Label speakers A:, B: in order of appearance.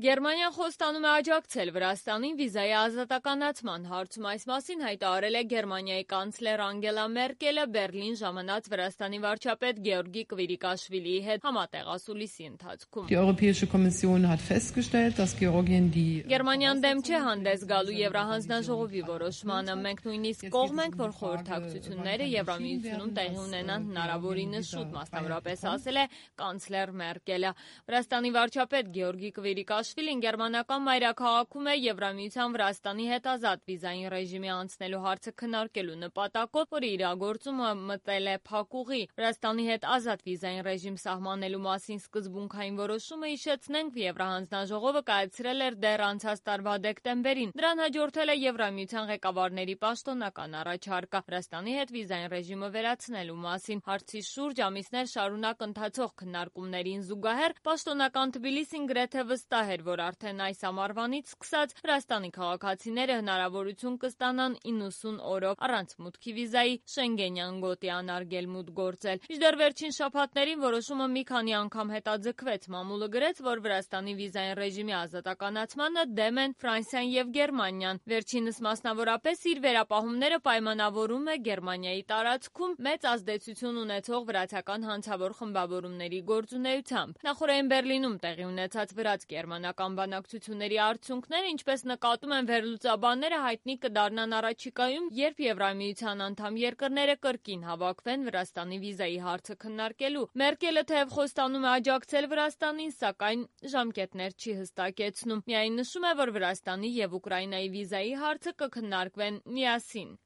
A: Գերմանիան խոստանում է աջակցել Վրաստանին վիզայի ազատականացման հարցում։ Այս մասին հայտարարել է Գերմանիայի կանցլեր Անգելա Մերկելը Բեռլին ժամանած Վրաստանի վարչապետ Գեորգի Կվիրիկաշվիլիի հետ համատեղ ասուլիսի ընթացքում։ Գերմանիան դեմ չէ հանդես գալու Եվրահանձնաժողովի որոշմանը։ Մենք նույնիսկ կողմ ենք, որ խորհրդակցությունները Եվրամիությունում տեղի ունենան հնարավորինս շուտ, մասնավորապես ասել է կանցլեր Մերկելը։ Վրաստանի վարչապետ Գեորգի Կվիրիկաշվիլին գերմանական մայրաքաղաքում է Եվրամիության Վրաստանի հետ ազատ վիզային ռեժիմի անցնելու հարցը քննարկելու նպատակով, որի իրագործումը մտել է փակուղի։ Վրաստանի հետ ազատ վիզային ռեժիմ սահմանելու մասին սկզբունքային որոշումը, հիշեցնենք, Եվրահանձնաժողովը կայացրել էր դեռ անցած տարվա դեկտեմբերին։ Դրան հաջորդել է Եվրամիության ղեկավարների պաշտոնական առաջարկը Վրաստանի հետ վիզային ռեժիմը վերացնելու մասին։ Հարցի շուրջ ամիսներ շարունակ ընթացող քննարկումներին զուգահեռ պաշտոնական Թբիլիսին գրեթե վստահ էր, որ արդեն այս ամառվանից սկսած Վրաստանի քաղաքացիները հնարավորություն կստանան 90 օրով առանց մուտքի վիզայի Շենգենյան գոտի անարգել մուտք գործել։ Մինչդեռ վերջին շաբաթներին որոշումը մի քանի անգամ հետաձգվեց։ Մամուլը գրեց, որ Վրաստանի վիզային ռեժիմի ազատականացմանը դեմ են Ֆրանսիան եւ Գերմանիան։ Վերջինս մասնավորապես իր վերապահումները պայմանավորում է Գերմանիայի տարածքում մեծ ազդեցություն ունեցող վրացական հանցավոր խմբավորումների գործունեությամբ։ Նախորդին Բեռլինում տեղի ունեցած վրաց-գերմանական բանակցությունների արդյունքները, ինչպես նկատում են վերլուծաբանները, հայտնի կդառնան առաջիկայում, երբ Եվրամիության անդամ երկրները կրկին հավաքվեն Վրաստանի վիզայի հարցը քննարկելու։ Մերկելը թեև խոստանում է աջակցել Վրաստանին, սակայն ժամկետներ չի հստակեցնում։ Միայն նշում է, որ Վրաստանի եւ Ուկրաինայի վիզայի հարցը կքննարկվեն միասին։